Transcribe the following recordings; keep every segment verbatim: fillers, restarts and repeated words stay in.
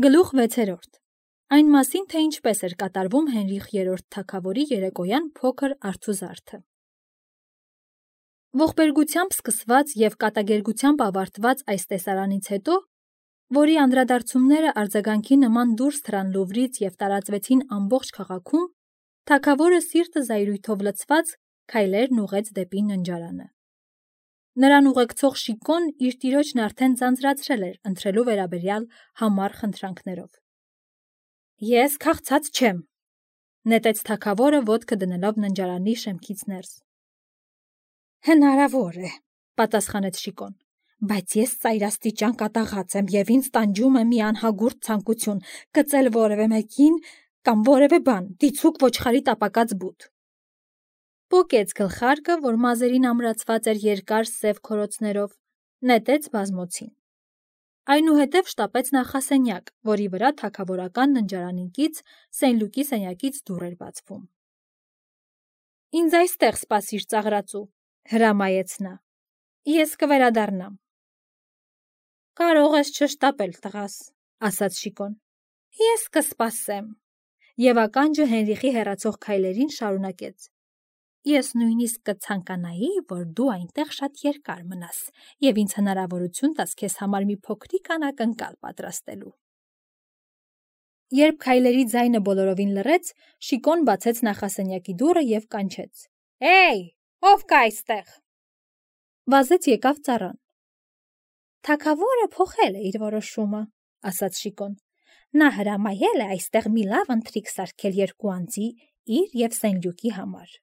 Գլուխ վեցերորդ. Այն մասին, թե ինչպես էր կատարվում Հենրիխ երրորդ թագավորի երեկոյան փոքր արցուզարդը։ Ողբերգությամբ սկսված և կատակերգությամբ ավարտված այս տեսարանից հետո, որի անդրադարձումները արձագանքի նման դուրս թռան Լուվրից և տարածվեցին ամբողջ քաղաքում, թագավորը սիրտը զայրույթով լցված քայլերն ուղղեց դեպի ննջարանը։ Նրան ուղեկցող Շիկոն իր տիրոջն արդեն ձանձրացրել էր ընթրելու վերաբերյալ համառ խնդրանքներով։ Ես քաղցած չեմ, նետեց թագավորը ոտքը դնելով ննջարանի շեմքից ներս։ Հնարավոր է, պատասխանեց Շիկոն, բայց ես ծայրաստիճան կատաղած եմ և ինձ տանջում է մի անհագուրդ ցանկություն կծել որևէ մեկին կամ որևէ բան, դիցուք ոչխարի տապակած բութ։ Պոկեց գլխարկը, որ մազերին ամրացված էր երկար սև քորոցներով, նետեց բազմոցին։ Այնուհետև շտապեց նախասենյակ, որի վրա թագավորական ննջարանիկից Սենլուկի սենյակից դուռ էր բացվում։ Ինձ այստեղ սպասիր ծաղրածու, հրամայեց նա։ Ես կվերադառնամ։ Կարող ես չշտապել, տղաս, ասաց Շիկոն։ Ես կսպասեմ։ Եվ ականջը Հենրիխի հեռացող քայլերին շարունակեց։ Ես նույնիսկ կցանկանայի, որ դու այնտեղ շատ երկար մնաս և ինձ հնարավորություն տաս քեզ համար մի փոքրիկ անակնկալ պատրաստելու։ Երբ քայլերի ձայնը բոլորովին լռեց, Շիկոն բացեց նախասենյակի դուռը և կանչեց. Էյ, ով կա այստեղ։ Վազեց եկավ ծառան։ Թագավորը փոխել է իր որոշումը, ասաց Շիկոն։ Նա հրամայել է այստեղ մի լավ ընթրիք սարքել երկու անձի, իր և Սենլյուկի համար։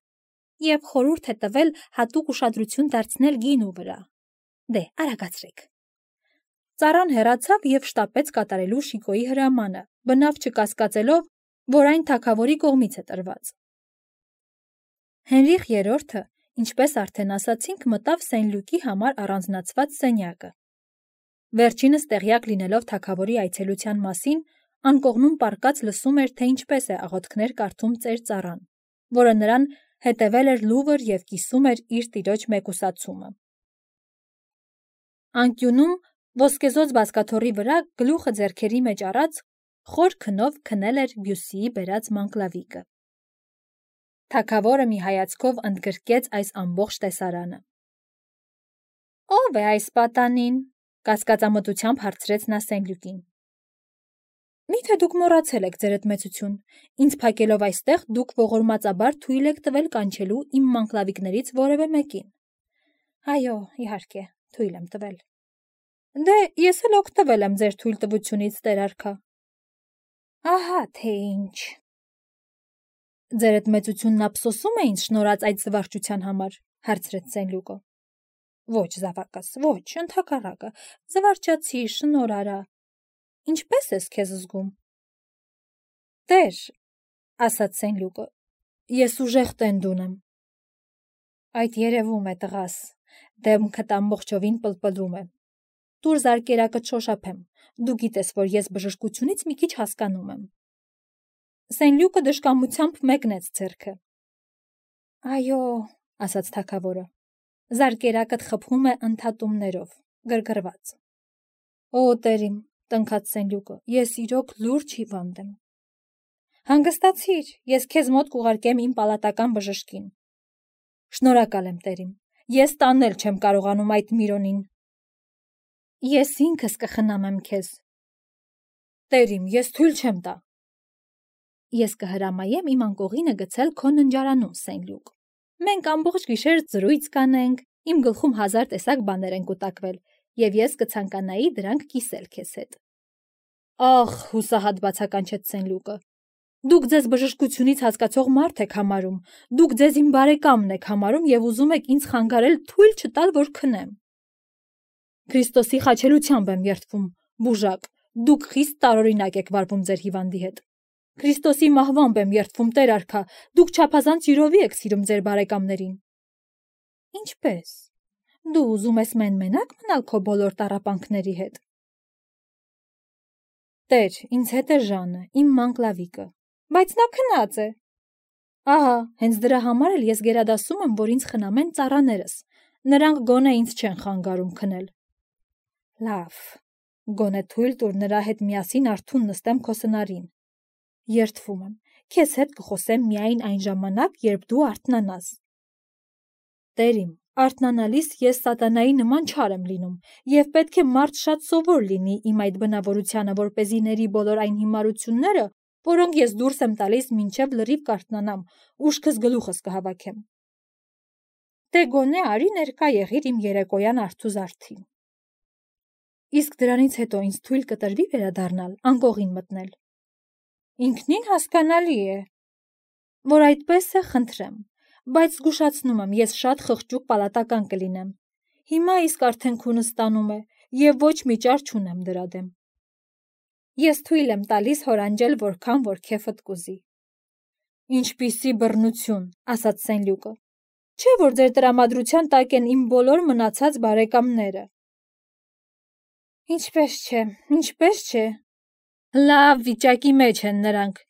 Եվ խորհուրդ է տվել հատուկ ուշադրություն դարձնել գինու վրա։ Դե, արագացրեք։ Ծառան հեռացավ և շտապեց կատարելու Շիկոյի հրամանը, բնավ չկասկածելով, որ այն թագավորի կողմից է տրված։ Հենրիխ երրորդը, ինչպես արդեն ասացինք, մտավ Սենլյուկի համար առանձնացված սենյակը։ Վերջինս տեղյակ լինելով թագավորի այցելության մասին, անկողնում պառկած լսում էր, թե ինչպես է աղոթքներ կարդում ծեր ծառան, որը նրան հետևել էր Լուվր և կիսում էր իր տիրոջ մեկուսացումը։ Անկյունում ոսկեզօծ բազկաթոռի վրա գլուխը ձեռքերի մեջ առած խոր քնով քնել էր Բյուսիի բերած մանկլավիկը։ Թագավորը մի հայացքով ընդգրկեց այս ամբողջ տեսարանը։ Ո՞վ է այս պատանին, կասկածամտությամբ հարցրեց նա Սենլյուկին։ Միթե դուք մոռացել եք, ձերդ մեծություն, ինձ փակելով այստեղ դուք ողորմածաբար թույլ եք տվել կանչելու իմ մանկլավիկներից որևէ մեկին։ Այո, իհարկե, թույլ եմ տվել։ Դե, ես էլ օգտվել եմ ձեր թույլտվությունից, տեր արքա։ Ահա թե ինչ։ Ձերդ մեծությունն ափսոսում է ինձ շնորհած այդ զվարճության համար, հարցրեց Սենլյուկը։ Ոչ, զավակս, ոչ, ընդհակառակը, զվարճացի, շնորհ արա։ Ինչպե՞ս ես քեզ զգում։ Տեր, ասաց Սենլյուկը, ես ուժեղ տենդ ունեմ։ Այդ երևում է, տղաս, դեմքդ ամբողջովին պլպլում է։ Տուր զարկերակդ շոշափեմ, դու գիտես, որ ես բժշկությունից մի քիչ հասկանում եմ։ Սենլյուկը դժկամությամբ մեկնեց ձեռքը։ Այո, ասաց թագավորը, զարկերակդ խփում է ընդհատումներով, գրգռված։ Օ, տերիմ, տնքաց Սենլյուկը, ես իրոք լուրջ հիվանդ եմ։ Հանգստացիր, ես քեզ մոտ կուղարկեմ իմ պալատական բժշկին։ Շնորհակալ եմ, տերիմ, ես տանել չեմ կարողանում այդ Միրոնին։ Ես ինքս կխնամեմ քեզ։ Տերիմ, ես թույլ չեմ տա։ Ես կհրամայեմ իմ անկողինը գցել քո ննջարանում, Սենլյուկ։ Մենք ամբողջ գիշեր զրույց կանենք, իմ գլխում հազար տեսակ բաներ են կուտակվել, և ես կցանկանայի դրանք կիսել քեզ հետ։ Ախ, հուսահատ բացականչեց Սենլյուկը։ Դուք ձեզ բժշկությունից հասկացող մարդ եք համարում, դուք ձեզ իմ բարեկամն եք համարում և ուզում եք ինձ խանգարել թույլ չտալ, որ քնեմ։ Քրիստոսի խաչելությամբ եմ երդվում, բուժակ, դուք խիստ տարօրինակ եք վարվում ձեր հիվանդի հետ։ Քրիստոսի մահվամբ եմ երդվում, տեր արքա, դուք չափազանց յուրովի եք սիրում ձեր բարեկամներին։ Ինչպե՞ս։ Դու ուզում ես մեն-մենակ մնալ քո բոլոր տառապանքների հետ։ Տեր, ինձ հետ է Ժանը, իմ մանկլավիկը, բայց նա քնած է։ Ահա, հենց դրա համար էլ ես գերադասում եմ, որ ինձ խնամեն ծառաներս, նրանք գոնե ինձ չեն խանգարում քնել։ Լավ, Գոնե թույլ տուր նրա հետ միասին արթուն նստեմ քո սնարին։ Երդվում եմ, քեզ հետ կխոսեմ միայն այն ժամանակ, երբ դու արթնանաս։ Տեր իմ, արթնանալիս ես սատանայի նման չար եմ լինում, եւ պետք է մարդ շատ սովոր լինի իմ այդ բնավորությանը, որպեսզի ների բոլոր այն հիմարությունները, որոնք ես դուրս եմ տալիս մինչև լրիվ կարթնանամ, ուշքս գլուխս կհավաքեմ։ Դե գոնե արի ներկա եղիր իմ երեկոյան արթուզարդին։ Իսկ դրանից հետո ինձ թույլ կտրվի վերադառնալ, անկողին մտնել։ Ինքնին հասկանալի է, որ այդպես է, խնդրեմ, բայց զգուշացնում եմ, ես շատ խղճուկ պալատական կլինեմ։ Հիմա իսկ արդեն քունս ստանում է, եւ ոչ մի ճար չունեմ դրա դեմ։ Ես թույլ եմ տալիս հորանջել որքան որ քեֆդ կուզի։ Ինչպիսի բռնություն, ասաց Սենլյուկը։ Չէ՞ որ ձեր տրամադրության տակ են իմ բոլոր մնացած բարեկամները։ Ինչպես չէ, ինչպես չէ։ Լավ վիճակի մեջ են նրանք։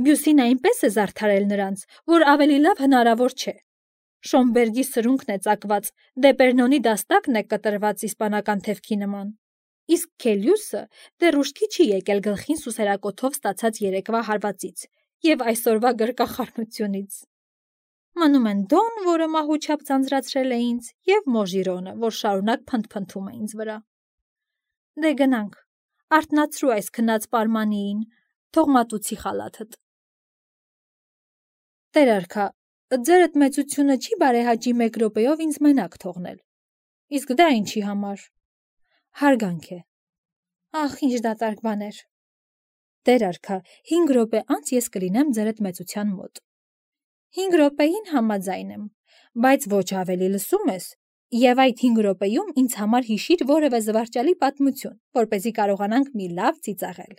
Բյուսին այնպես է զարդարել նրանց, որ ավելի լավ հնարավոր չէ։ Շոմբերգի սրունքն է ծակված, Դեպերնոնի դաստակն է կտրված իսպանական թևքի նման։ Իսկ Քելյուսը դեռ ուշքի չի եկել գլխին սուսերակոթով ստացած երեկվա հարվածից եւ այսօրվա գրկախառնությունից։ Մնում են Դոն, որը մահուչապ ձանձրացրել է ինձ, եւ Մոժիրոնը, որ շարունակ փնթփնթում է ինձ վրա։ Դե գնանք, արթնացրու այս քնած պարմանիին, թող մատուցի խալաթդ։ Տեր արքա, ձերդ մեծությունը չի բարեհաճի մեկ րոպեով ինձ մենակ թողնել։ Իսկ դա ինչի համար։ Հարգանք է։ Ախ, ինչ դատարկ բաներ։ Տեր արքա, հինգ րոպե անց ես կլինեմ ձերդ մեծության մոտ։ Հինգ րոպեին համաձայն եմ, բայց ոչ ավելի լսում ես, եւ այդ հինգ րոպեում ինձ համար հիշիր որևէ զվարճալի պատմություն, որպեսզի կարողանանք մի լավ ծիծաղել։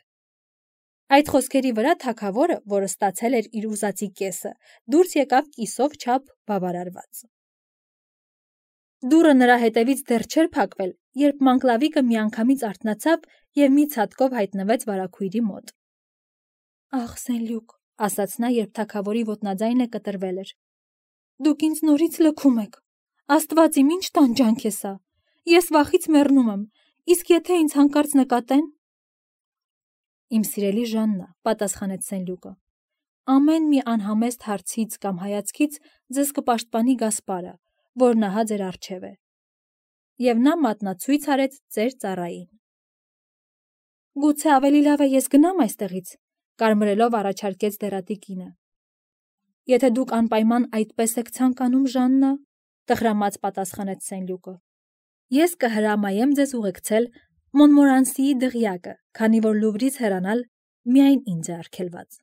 Այդ խոսքերի վրա թագավորը, որը ստացել էր իր ուզածի կեսը, դուրս եկավ կիսով չափ բավարարված։ Դուռը նրա հետևից դեռ չէր փակվել, երբ Մանկլավիկը միանգամից արթնացավ եւ մի ցատկով հայտնվեց վարագույրի մոտ։ Ախ, Սենլյուկ, ասաց նա, երբ թագավորի ոտնաձայնը կտրվել էր։ Դուք ինձ նորից լքում եք։ Աստված իմ, ինչ տանջանք է սա։ Ես վախից մեռնում եմ, իսկ եթե ինձ հանկարծ նկատեն։ Իմ սիրելի Ժաննա, պատասխանեց Սենլյուկը, ամեն մի անհամեստ հարցից կամ հայացքից ձեզ կպաշտպանի Գասպարը, որ նահա ձեր առջև է։ Եվ նա մատնացույց արեց ձեր ծառային։ Գուցե ավելի լավ է ես գնամ այստեղից, կարմրելով առաջարկեց դերատի կինը։ Եթե դուք անպայման այդպես եք ցանկանում, Ժաննա, տխրամած պատասխանեց Սենլյուկը։ Ես կհրամայեմ ձեզ ուղեկցել Մոնմորանսիի դղյակը, քանի որ Լուվրից հեռանալ միայն ինձ է արգելված։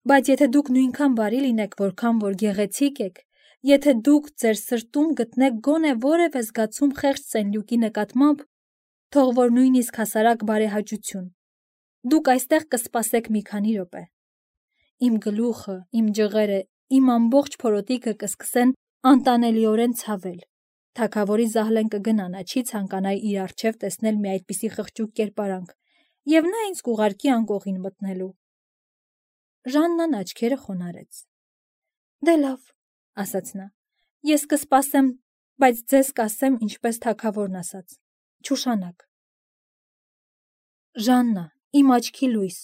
Բայց եթե դուք նույնքան բարի լինեք, որքան որ գեղեցիկ եք, եթե դուք ձեր սրտում գտնեք գոնե որևէ զգացում խեղճ Սենլյուկի նկատմամբ, թող որ նույնիսկ հասարակ բարեհաճություն, դուք այստեղ կսպասեք մի քանի րոպե։ Իմ գլուխը, իմ ջղերը, իմ ամբողջ փորոտիքը կսկսեն անտանելիորեն ցավել։ Թագավորի Զահլեն կգնա, նա չի ցանկանա իր առջև տեսնել մի այդպիսի խղճուկ կերպարանք, եւ նա ինձ կուղարկի անկողին մտնելու։ Ժաննան աչքերը խոնարհեց։ Դե լավ, ասաց նա, ես կսպասեմ, բայց ձեզ կասեմ, ինչպես թագավորն ասաց. Չուշանաք։ Ժաննա, իմ աչքի լույս,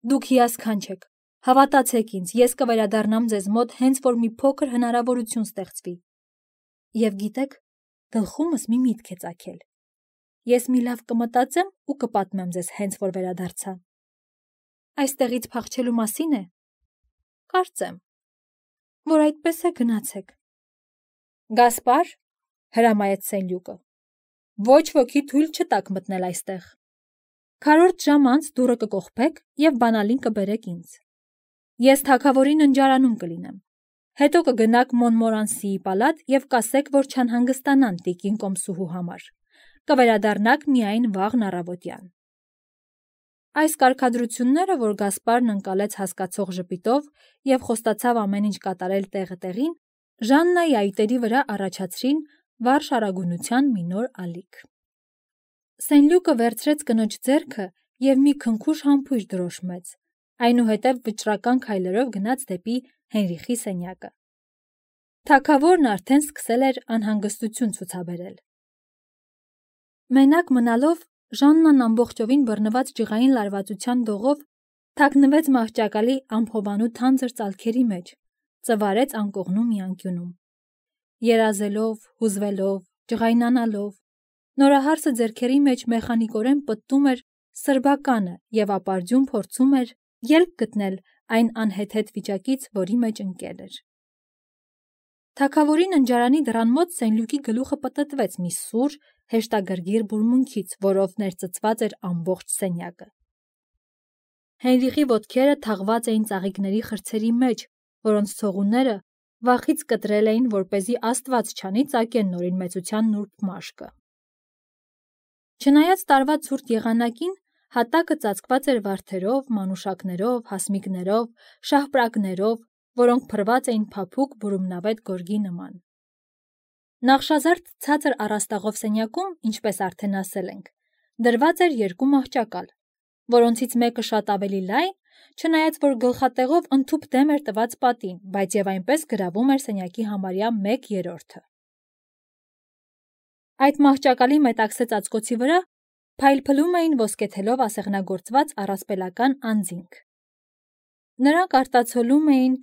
դուք հիասքանչ եք, հավատացեք ինձ, ես կվերադառնամ ձեզ մոտ հենց որ մի փոքր հնարավորություն ստեղծվի։ Եվ գիտեք, գլխումս մի միտք է ծագել։ Ես մի լավ կմտածեմ ու կպատմեմ ձեզ հենց որ վերադարձա։ Այստեղից փախչելու մասին է։ Կարծեմ, որ այդպես է, գնացեք։ Գասպար, հրամայեց Սենլյուկը, ոչ ոքի թույլ չտաք մտնել այստեղ։ Քառորդ ժամ անց դուռը կկողպեք եւ բանալին կբերեք ինձ։ Ես թագավորին ընջարանում կլինեմ։ Հետո կգնաք Մոնմորանսիի պալատ եւ կասեք, որ չանհանգստանան տիկին Կոմսուհու համար։ Կվերադառնաք միայն վաղն առավոտյան։ Այս կարգադրությունները, որ Գասպարն ընկալեց հասկացող ժպիտով եւ խոստացավ ամեն ինչ կատարել տեղը տեղին, Ժաննայի այտերի վրա առաջացրին վառ շարագունության մի նոր ալիք։ Սենլյուկը վերցրեց կնոջ ձեռքը եւ մի քնքուշ համբույր դրոշմեց, այնուհետև վճռական քայլերով գնաց դեպի Հենրիխի սենյակը։ Թագավորն արդեն սկսել էր անհանգստություն ցուցաբերել։ Մենակ մնալով Ժաննան ամբողջովին բռնված ջղային լարվածության դողով թաքնվեց մահճակալի ամփոբանու թանձր ծալքերի մեջ, ծվարեց անկողնու մի անկյունում։ Երազելով, հուզվելով, ջղայնանալով, նորահարսը ձեռքերի մեջ մեխանիկորեն պտտում էր սրբականը և ապարդյուն փորձում էր ելք գտնել այն անհեթեթ վիճակից, որի մեջ ընկել էր։ Թագավորի ննջարանի դռան մոտ Սենլյուկի գլուխը պտտվեց մի սուր, հեշտագրգիռ բուրմունքից, որով ներծծված էր ամբողջ սենյակը։ Հենրիխի ոտքերը թաղված էին ծաղիկների խրձերի մեջ, որոնց ցողունները վախից կտրել էին, որպեսզի Աստված չանի ծակեն նորին մեծության նուրբ մաշկը։ Չնայած տարվա ցուրտ եղանակին, հատակը ծածկված էր վարդերով, մանուշակներով, հասմիկներով, շահպրակներով, որոնք փռված էին փափուկ բուրումնավետ գորգի նման։ Նախշազարդ ցածր առաստաղով սենյակում, ինչպես արդեն ասել ենք, դրված էր երկու մահճակալ, որոնցից մեկը շատ ավելի լայն, չնայած որ գլխատեղով ընդհուպ դեմ էր տված պատին, բայց եւ այնպես գրավում էր սենյակի համարյա մեկ երրորդը։ Այդ մահճակալի մետաքսե ծածկոցի վրա փայլփլում էին ոսկեթելով ասեղնագործված առասպելական անձինք։ Նրանք արտացոլում էին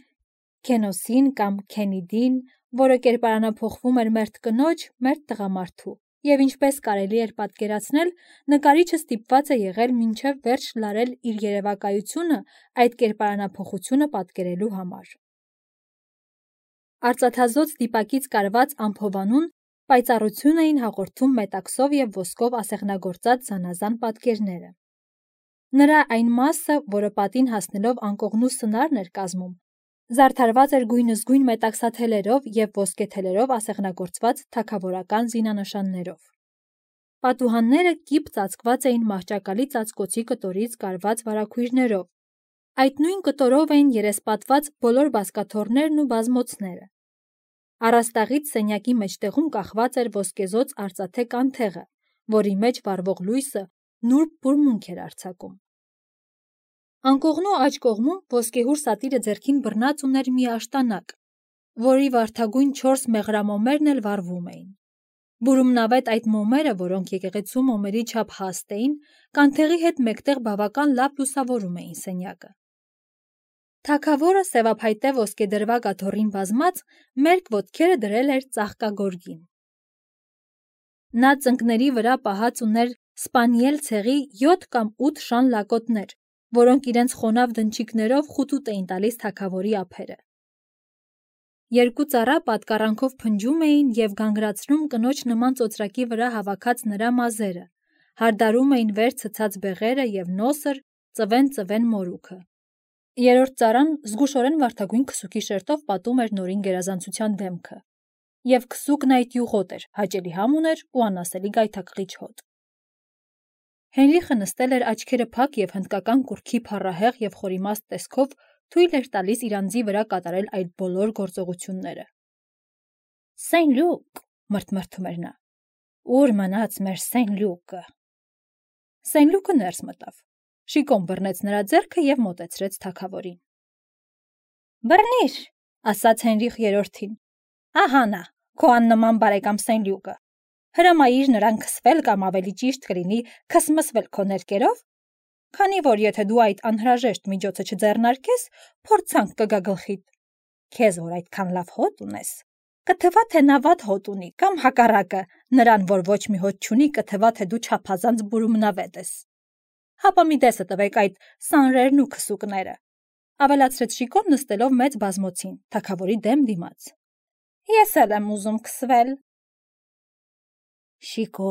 Քենոսին կամ Քենիդին, որը կերպարանափոխվում էր մերթ կնոջ, մերթ տղամարդու, եւ ինչպես կարելի էր պատկերացնել, նկարիչը ստիպված է եղել մինչև վերջ լարել իր երևակայությունը այդ կերպարանափոխությունը պատկերելու համար։ Արծաթազոծ դիպակից կարված ամփոբանուն պայծառություն էին հաղորդում մետաքսով եւ ոսկով ասեղնագործած զանազան պատկերները։ Նրա այն մասը, որը պատին հասնելով անկողնու սնարն էր կազմում, զարդարված էր գույնզգույն մետաքսաթելերով եւ ոսկեթելերով ասեղնագործված թագավորական զինանշաններով։ Պատուհանները կիպ ծածկված էին մահճակալի ծածկոցի կտորից կարված վարագույրներով։ Այդ նույն կտորով էին երեսպատված բոլոր բազկաթոռներն ու բազմոցները։ Առաստաղից սենյակի մեջտեղում կախված էր ոսկեզոծ արծաթե կանթեղը, որի մեջ վառվող լույսը նուրբ բուրմունք էր արձակում։ Անկողնու աջ կողմում ոսկեհուր սատիրը ձեռքին բռնած ուներ մի աշտանակ, որի վարդագույն չորս մեղրամոմերն էլ վառվում էին։ Բուրումնավետ այդ մոմերը, որոնք եկեղեցու մոմերի չափ հաստ էին, կանթեղի հետ մեկտեղ բավական լավ լուսավորում էին սենյակը։ Թագավորը սևափայտե ոսկեդրվագ աթոռին բազմած մերկ ոտքերը դրել էր ծաղկագորգին։ Նա ծնկների վրա պահած ուներ սպանիել ցեղի յոթ կամ ութ շան լակոտներ, որոնք իրենց խոնավ դնչիկներով խուտուտ էին տալիս թագավորի ափերը։ Երկու ծառա պատկառանքով փնջում էին եւ գանգրացնում կնոջ նման ծոծրակի վրա հավաքած նրա մազերը, հարդարում էին վեր ցցած բեղերը եւ նոսր ծվեն-ծվեն մորուքը։ Երրորդ ծառան զգուշորեն վարդագույն քսուկի շերտով պատում էր նորին գերազանցության դեմքը, եւ քսուկն այդ յուղոտ էր, հաճելի համ ուներ ու անասելի գայթակղիչ հոտ։ Հենրիխը նստել էր աչքերը փակ եւ հնդկական կուռքի փառահեղ եւ խորիմաստ տեսքով թույլ էր տալիս իր անձի վրա կատարել այդ բոլոր գործողությունները։ Սենլյուկ, մրթմրթում էր նա, ուր մնաց մեր Սենլյուկը։ Սենլյուկը ներս մտավ, շիկոն բռնեց նրա ձեռքը եւ մոտեցրեց թագավորին։ Բռնիր, ասաց Հենրիխ երրորդին, ահա նա, քո աննման բարեկամ Սենլյուկը։ Հրամայիր նրան քսվել կամ ավելի ճիշտ կլինի քսմսվել քո ներկերով, քանի որ եթե դու այդ անհրաժեշտ միջոցը չձեռնարկես, փորձանք կգա գլխիդ։ Քեզ որ այդքան լավ հոտ ունես, կթվա թե նա վատ հոտ ունի, կամ հակառակը, նրան որ ոչ մի հոտ չունի, կթվա թե դու չափազանց բուրումնավետ ես։ Հապա մի դեսը տվեք այդ սանրերն ու քսուկները, ավելացրեց շիկոն նստելով մեծ բազմոցին, թագավորի դեմ դիմաց։ Ես էլ եմ ուզում քսվել։ Շիկո,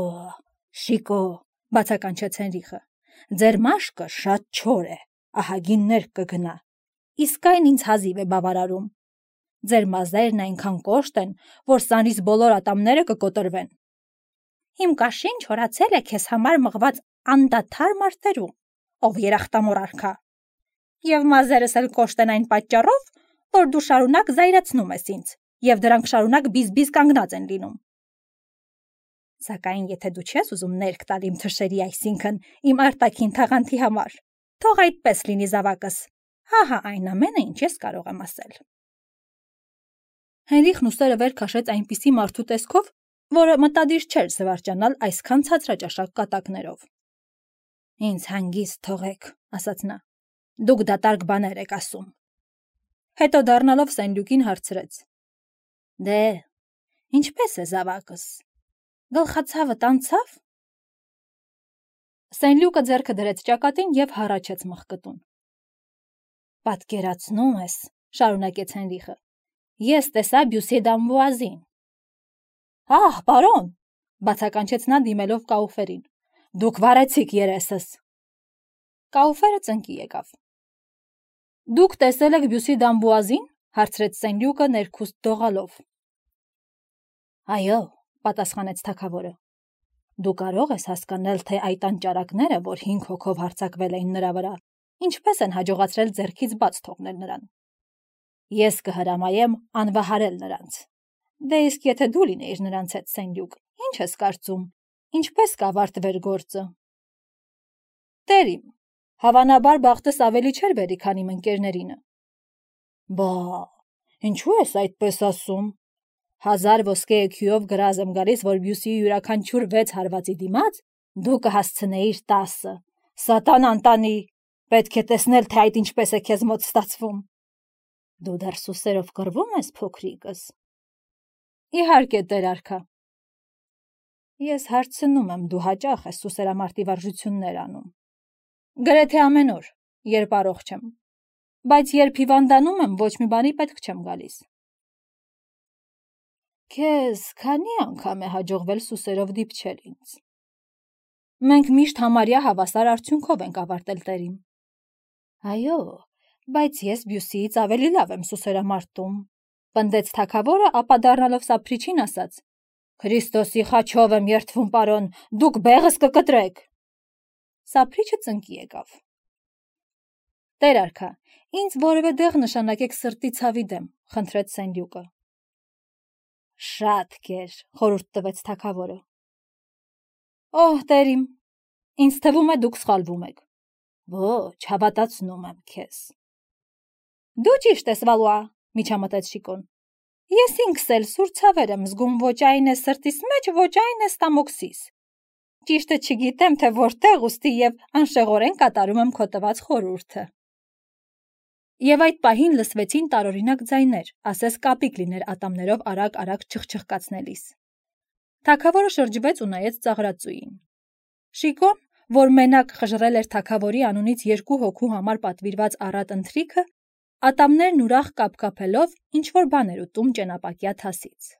շիկո, բացականչեց Հենրիխը, ձեր մաշկը շատ չոր է, ահագիններ կգնա, իսկ այն ինձ հազիվ է բավարարում։ Ձեր մազերն այնքան կոշտ են, որ սանից բոլոր ատամները կկոտրվեն։ Իմ կաշին չորացել է քեզ համար մղված անդադար մարտերում, ով երախտամոռ արքա։ Եվ մազերս էլ կոշտ են այն պատճառով, որ դու շարունակ զայրացնում ես ինձ, եւ դրանք շարունակ բիզ-բիզ կանգնած են լինում։ Սակայն եթե դու չես ուզում ներք տալ իմ թշերի, այսինքն իմ արտաքին թաղանթի համար, թող այդպես լինի զավակս, հահա այն ամենը, ինչ ես կարող եմ ասել։ Հենրիխն ուսերը վեր քաշեց այնպիսի մարդու տեսքով, որը մտադիր չէր զվարճանալ այսքան ցածրաճաշակ կատակներով։ Ինձ հանգիստ թողեք, ասաց նա։ Դուք դատարկ բաներ եք ասում։ Հետո դառնալով Սենլյուկին հարցրեց. Դե, ինչպես է զավակս։ Գլխացավդ անցավ։ Սենլյուկը ձեռքը դրեց ճակատին եւ հառաչեց մխկտուն։ Պատկերացնում ես, շարունակեց Հենրիխը։ Ես տեսա Բյուսի Դամբուազին։ Ահ, պարոն, բացականչեց նա դիմելով Կաուֆերին։ Դուք վարեցիք երեսս։ Կաուֆերը ծնկի եկավ։ Դուք տեսել եք Բյուսի Դամբուազին, հարցրեց Սենլյուկը ներքուստ դողալով։ Այո, պատասխանեց թագավորը։ Դու կարող ես հասկանալ, թե այդ անճարակները, որ հինգ հոգով հարձակվել էին նրա վրա, ինչպես են հաջողացրել ձեռքից բաց թողնել նրան։ Ես կհրամայեմ անվահարել նրանց։ Դե իսկ եթե դու լինեիր նրանց հետ, Սենլյուկ, ինչ ես կարծում, ինչպես կավարտվեր գործը։ Տերիմ, հավանաբար բախտս ավելի չէր բերի, քան իմ ընկերներինը։ Բա, ինչու ես այդպես ասում։ Հազար ոսկե էքյուով գրազ եմ գալիս, որ Բյուսիի յուրաքանչյուր վեց հարվածի դիմաց դու կհասցնեիր տասը։ Սատանան տանի, պետք է տեսնել, թե այդ ինչպես է քեզ մոտ ստացվում։ Դու դեռ սուսերով կռվում ես, փոքրիկս։ Իհարկե, տեր արքա։ Ես հարցնում եմ, դու հաճախ ես սուսերամարտի վարժություններ անում։ Գրեթե ամեն օր, երբ առողջ եմ, բայց երբ հիվանդանում եմ, ոչ մի բանի պետք չեմ գալիս։ Քեզ քանի անգամ է հաջողվել սուսերով դիպչել ինձ։ Մենք միշտ համարյա հավասար արդյունքով ենք ավարտել, տերիմ։ Այո, բայց ես Բյուսիից ավելի լավ եմ սուսերամարտում, պնդեց թագավորը, ապա դառնալով Սափրիչին ասաց. Քրիստոսի խաչով եմ երդվում, պարոն, դուք բեղս կկտրեք։ Սափրիչը ծնկի եկավ։ Տեր արքա, ինձ որևէ դեղ նշանակեք սրտի ցավի դեմ, խնդրեց Սենլյուկը։ Շատ կեր, խորհուրդ տվեց թագավորը։ Օհ, տերիմ, ինձ թվում է դուք սխալվում եք։ Ոչ, հավատացնում եմ քեզ։ Դու ճիշտ ես, Վալուա, միջամտեց Շիկոն։ Ես ինքս էլ սուր ցավեր եմ զգում, ոչ այն է սրտիս մեջ, ոչ այն է ստամոքսիս։ Ճիշտը չգիտեմ, թե որտեղ ուստի եւ անշեղորեն կատարում եմ քո տված խորհուրդը։ Եվ այդ պահին լսվեցին տարօրինակ ձայներ, ասես կապիկ լիներ ատամներով արագ-արագ չխչխկացնելիս։ Թագավորը շրջվեց ու նայեց ծաղրածուին։ Շիկոն, որ մենակ խժռել էր թագավորի անունից երկու հոգու համար պատվիրված առատ ընթրիքը, ատամներն ուրախ կապկապելով ինչ-որ բան էր ուտում ճենապակյա թասից։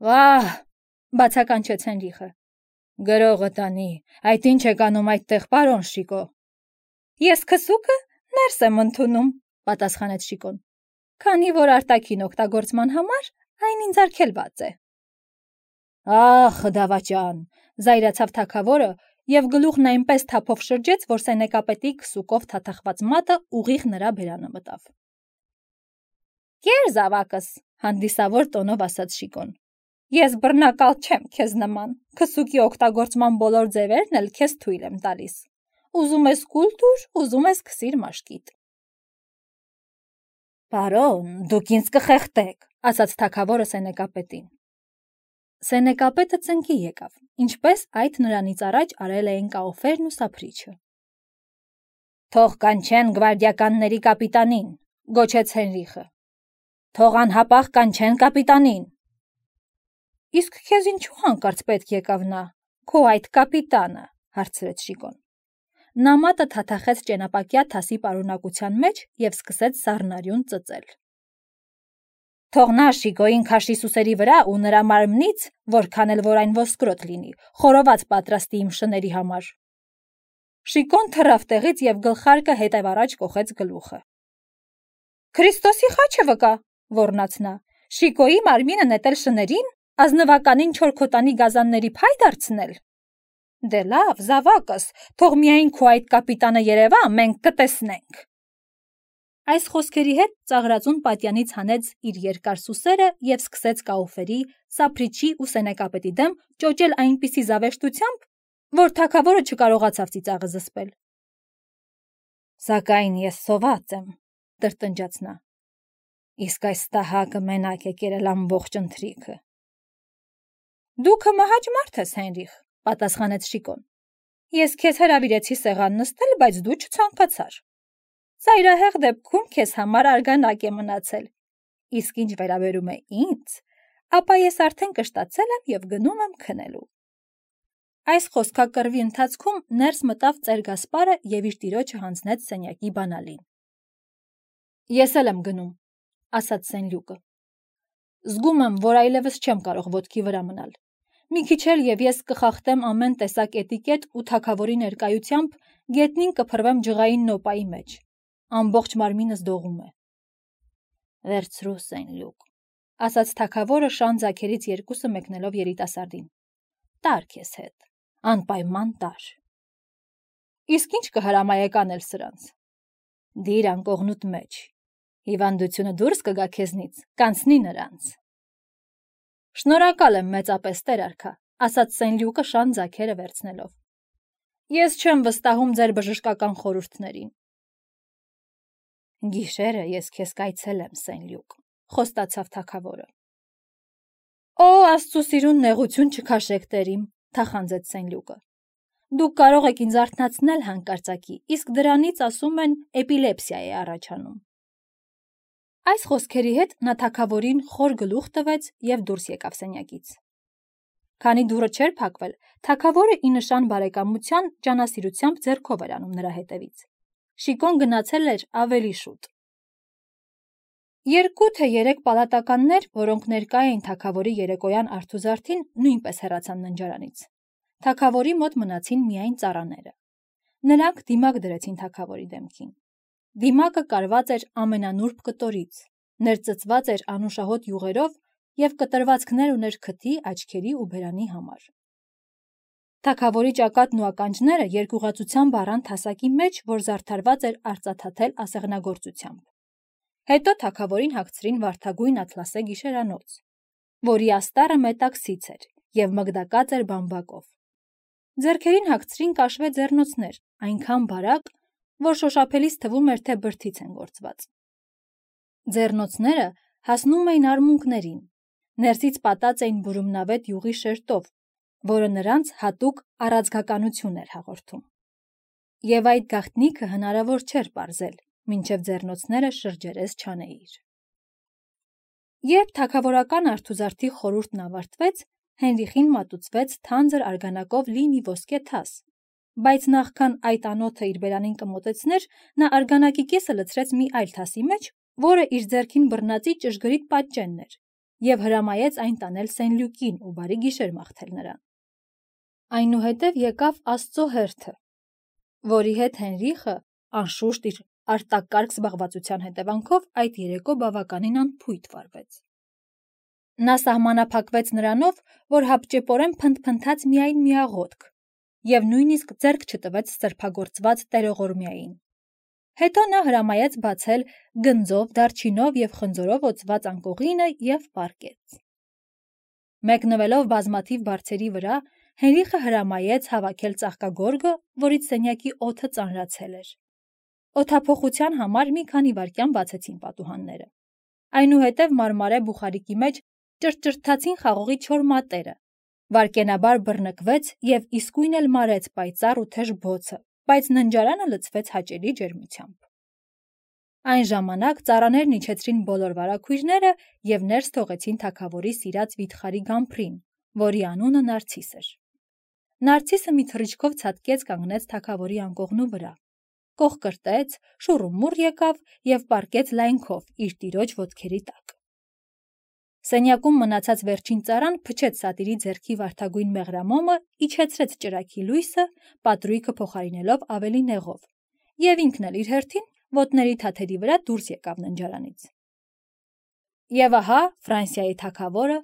Վահ, բացականչեց Հենրիխը։ Գրողը տանի, այդ ինչ եք անում այդտեղ, պարոն Շիկո։ Ես քսուկը ներս եմ ընդունում, պատասխանեց Շիկոն, քանի որ արտաքին օգտագործման համար այն ինձ արգելված է։ Ախ, դավաճան, զայրացավ թագավորը եւ գլուխն այնպես թափով շրջեց, որ սենեկապետի քսուկով թաթախված մատը ուղիղ նրա բերանը մտավ։ Կեր զավակս, հանդիսավոր տոնով ասաց Շիկոն։ Ես բռնակալ չեմ քեզ նման, քսուկի օգտագործման բոլոր ձևերն էլ քեզ թույլ եմ տալիս։ Ուզում ես կուլ տուր, ուզում ես քսիր մաշկիդ։ Պարոն, դուք ինձ կխեղդեք, ասաց թագավորը սենեկապետին։ Սենեկապետը ծնկի եկավ, ինչպես այդ նրանից առաջ արել էին Կաուֆերն ու Սափրիչը։ Թող կանչեն գվարդիականների կապիտանին, գոչեց Հենրիխը։ Թող անհապաղ կանչեն կապիտանին։ Իսկ քեզ ինչու հանկարծ պետք եկավ նա, քո այդ կապիտանը, հարցրեց Շիկոն։ Նա մատը թաթախեց ճենապակյա թասի պարունակության մեջ եւ սկսեց սառնարյուն ծծել։ Թող նա Շիկոյին քաշի սուսերի վրա ու նրա մարմնից, որքան էլ որ այն ոսկրոտ լինի, խորոված պատրաստի իմ շների համար։ Շիկոն թռավ տեղից եւ գլխարկը հետև առաջ կոխեց գլուխը։ Քրիստոսի խաչը վկա, ոռնաց նա, Շիկոյի մարմինը նետել շներին, ազնվականին չորքոտանի գազանների փայ դարձնել։ Դե լավ, զավակս, թող միայն քո այդ կապիտանը երևա, մենք կտեսնենք։ Այս խոսքերի հետ ծաղրածուն պատյանից հանեց իր երկար սուսերը եւ սկսեց Կաուֆերի, Սափրիչի ու սենեկապետի դեմ ճոճել այնպիսի զավեշտությամբ, որ թագավորը չկարողացավ ծիծաղը զսպել։ Սակայն ես սոված եմ, տրտնջաց նա։ Իսկ այս տահակը մենակ է կերել ամբողջ ընթրիքը։ Դուք մահաճ մարդ ես, Հենրիխ, պատասխանեց Շիկոն։ Ես քեզ հրավիրեցի սեղան նստել, բայց դու չցանկացար։ Ծայրահեղ դեպքում քեզ համար արգանակ է մնացել։ Իսկ ինչ վերաբերում է ինձ, ապա ես արդեն կշտացել եմ և գնում եմ քնելու։ Այս խոսքակռվի ընթացքում ներս մտավ ծեր Գասպարը և իր տիրոջը հանձնեց սենյակի բանալին։ Ես էլ եմ գնում, ասաց Սենլյուկը։ Զգում եմ, որ այլևս չեմ կարող ոտքի վրա մնալ։ Մի քիչ էլ և ես կխախտեմ ամեն տեսակ էտիկետ ու թագավորի ներկայությամբ գետնին կփռվեմ ջղային նոպայի մեջ։ Ամբողջ մարմինս դողում է։ Վերցրու, Սենլյուկ, ասաց թագավորը շան ձագերից երկուսը մեկնելով երիտասարդին։ Տար քեզ հետ, անպայման տար։ Իսկ ինչ կհրամայեք անել սրանց։ Դիր անկողնուտ մեջ։ Հիվանդությունը դուրս կգա քեզնից, կանցնի նրանց։ Շնորհակալ եմ մեծապես, տեր արքա, ասաց Սենլյուկը շան ձագերը վերցնելով։ Ես չեմ վստահում ձեր բժշկական խորհուրդներին։ Գիշերը ես քեզ կայցելեմ, Սենլյուկ, խոստացավ թագավորը։ Օ, Աստծո սիրուն նեղություն չքաշեք, տերիմ, թախանձեց Սենլյուկը։ Դուք կարող եք ինձ արթնացնել հանկարծակի, իսկ դրանից ասում են էպիլեպսիա է առաջանում։ Այս խոսքերի հետ նա թագավորին խոր գլուխ տվեց և դուրս եկավ սենյակից։ Քանի դուռը չէր փակվել, թագավորը ի նշան բարեկամության ջանասիրությամբ ձեռքով էր անում նրա հետևից։ Շիկոն գնացել էր ավելի շուտ։ Երկու թե երեք պալատականներ, որոնք ներկա էին թագավորի երեկոյան արթուզարդին, նույնպես հեռացան ննջարանից։ Թագավորի մոտ մնացին միայն ծառաները։ Նրանք դիմակ դրեցին թագավորի դեմքին։ Դիմակը կարված էր ամենանուրբ կտորից, ներծծված էր անուշահոտ յուղերով և կտրվածքներ ուներ քթի, աչքերի ու բերանի համար։ Թագավորի ճակատն ու ականջները երկյուղածությամբ առան թասակի մեջ, որ զարդարված էր արծաթաթել ասեղնագործությամբ։ Հետո թագավորին հագցրին վարդագույն ատլասե գիշերանոց, որի աստառը մետաքսից էր և մգդակած էր բամբակով։ Ձեռքերին հագցրին կաշվե ձեռնոցներ, այնքան բարակ, որ շոշափելիս թվում էր, թե բրդից են գործված։ Ձեռնոցները հասնում էին արմունկներին, ներսից պատած էին բուրումնավետ յուղի շերտով, որը նրանց հատուկ առաձգականություն էր հաղորդում։ Եվ այդ գաղտնիքը հնարավոր չէր պարզել, մինչև ձեռնոցները շրջերես չանեիր։ Երբ թագավորական արթուզարդի խորհուրդն ավարտվեց, Հենրիխին մատուցվեց թանձր արգանակով լի մի ոսկե թաս, բայց նախքան այդ անոթը իր բերանին կմոտեցներ, նա արգանակի կեսը լցրեց մի այլ թասի մեջ, որը իր ձեռքին բռնածի ճշգրիտ պատճենն էր, և հրամայեց այն տանել Սենլյուկին ու բարի գիշեր մաղթել նրան։ Այնուհետև եկավ Աստծո հերթը, որի հետ Հենրիխը, անշուշտ իր արտակարգ զբաղվածության հետևանքով, այդ երեկո բավականին անփույթ վարվեց։ Նա սահմանափակվեց նրանով, որ հապճեպորեն փնթփնթաց միայն մի աղոթք և նույնիսկ ձեռք չտվեց սրբագործված տերողորմյային։ Հետո նա հրամայեց բացել գնձով, դարչինով և խնձորով օծված անկողինը և պառկեց։ Մեկնվելով բազմաթիվ բարձերի վրա, Հենրիխը հրամայեց հավաքել ծաղկագորգը, որից սենյակի օդը ծանրացել էր։ Օդափոխության համար մի քանի վայրկյան բացեցին պատուհանները։ Այնուհետև մարմարե բուխարիկի մեջ ճռճռթացին խաղողի չոր մատերը, վայրկենաբար բռնկվեց և իսկույն էլ մարեց պայծառ ու թեժ բոցը, բայց ննջարանը լցվեց հաճելի ջերմությամբ։ Այն ժամանակ ծառաներն իջեցրին բոլոր վարագույրները և ներս թողեցին թագավորի սիրած վիթխարի գամփրին, որի անունը Նարցիս էր։ Նարցիսը մի թռիչքով ցատկեց կանգնեց թագավորի անկողնու վրա, կողկրտեց, շուռումուռ եկավ և պառկեց լայնքով իր տիրոջ ոտքերի տակ։ Սենյակում մնացած վերջին ծառան փչեց սատիրի ձեռքի վարդագույն մեղրամոմը, իջեցրեց ճրագի լույսը, պատրույգը փոխարինելով ավելի նեղով, և ինքն էլ իր հերթին ոտների թաթերի վրա դուրս եկավ ննջարանից։ Եվ ահա Ֆրանսիայի թագավորը,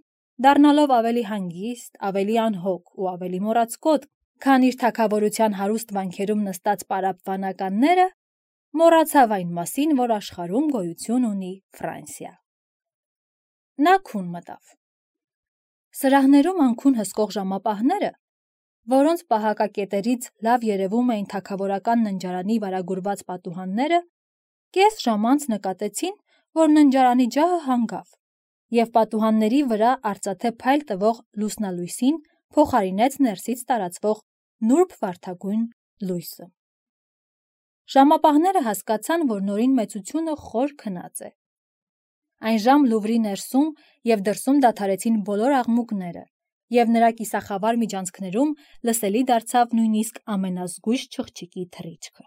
դառնալով ավելի հանգիստ, ավելի անհոգ ու ավելի մոռացկոտ, քան իր թագավորության հարուստ վանքերում նստած պարապ վանականները, մոռացավ այն մասին, որ աշխարհում գոյություն ունի Ֆրանսիա։ Նա քուն մտավ։ Սրահներում անքուն հսկող ժամապահները, որոնց պահակակետերից լավ երևում էին թագավորական ննջարանի վարագուրված պատուհանները, կես ժամ անց նկատեցին, որ ննջարանի ջահը հանգավ, և պատուհանների վրա արծաթե փայլ տվող լուսնալույսին փոխարինեց ներսից տարածվող նուրբ վարդագույն լույսը։ Ժամապահները հասկացան, որ նորին մեծությունը խոր քնած է։ Այն ժամ Լուվրի ներսում և դրսում դադարեցին բոլոր աղմուկները, և նրա կիսախավար միջանցքներում լսելի դարձավ նույնիսկ ամենազգույշ չղջիկի թռիչքը։